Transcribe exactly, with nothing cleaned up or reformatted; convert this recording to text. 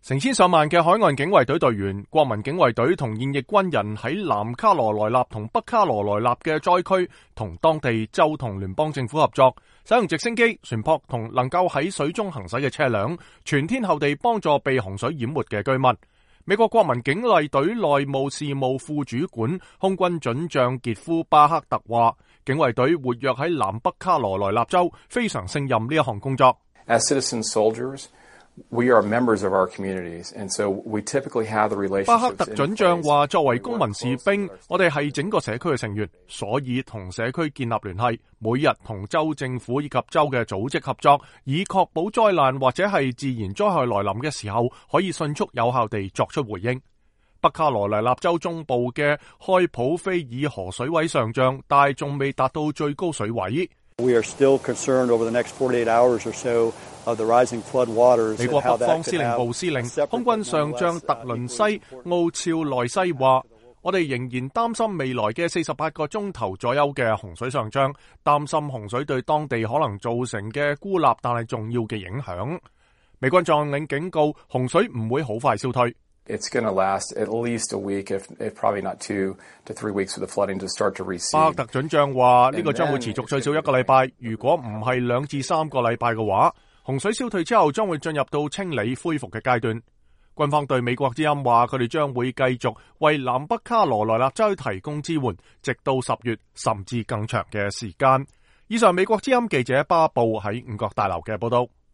成千上萬嘅海岸警衛隊隊員、國民警衛隊同現役軍人喺南卡羅來納同北卡羅來納嘅災區，同當地州同聯邦政府合作，使用直升機、船舶同能夠喺水中行駛嘅車輛，全天候地幫助被洪水淹沒嘅居民。美國國民警衛隊內務事務副主管空軍准將傑夫巴克特話，警衛隊活躍喺南北卡羅來納州，非常勝任呢一項工作。As citizen soldiers, we are members of our communities, and so we typically have the relationships. 巴克特准將話，作為公民士兵，我哋係整個社區嘅成員，所以同社區建立聯繫，每日同州政府以及州嘅組織合作，以確保災難或者係自然災害來臨嘅時候，可以迅速有效地作出回應。北卡羅來納州中部嘅開普菲爾河水位上漲，但仲未達到最高水位。We are still concerned over the next forty-eight hours or so of the rising flood waters. 美國北方司令部司令、空軍上將特倫西奧肖內西話，我哋仍然擔心未來嘅四十八個鐘頭左右嘅洪水上漲，擔心洪水對當地可能造成嘅孤立但係重要嘅影響。美軍將領警告，洪水唔會好快消退。It's going to last at least a week, if, if probably not two to three weeks for the flooding to start to recede. 巴克特准將話，呢個將會持續最少一個禮拜，如果唔係兩至三個禮拜嘅話，洪水消退之後將會進入到清理恢復嘅階段。軍方對美國之音話，佢哋將會繼續為南北卡羅來納州提供支援，直到十月甚至更長嘅時間。以上美國之音記者巴布喺五角大樓嘅報道。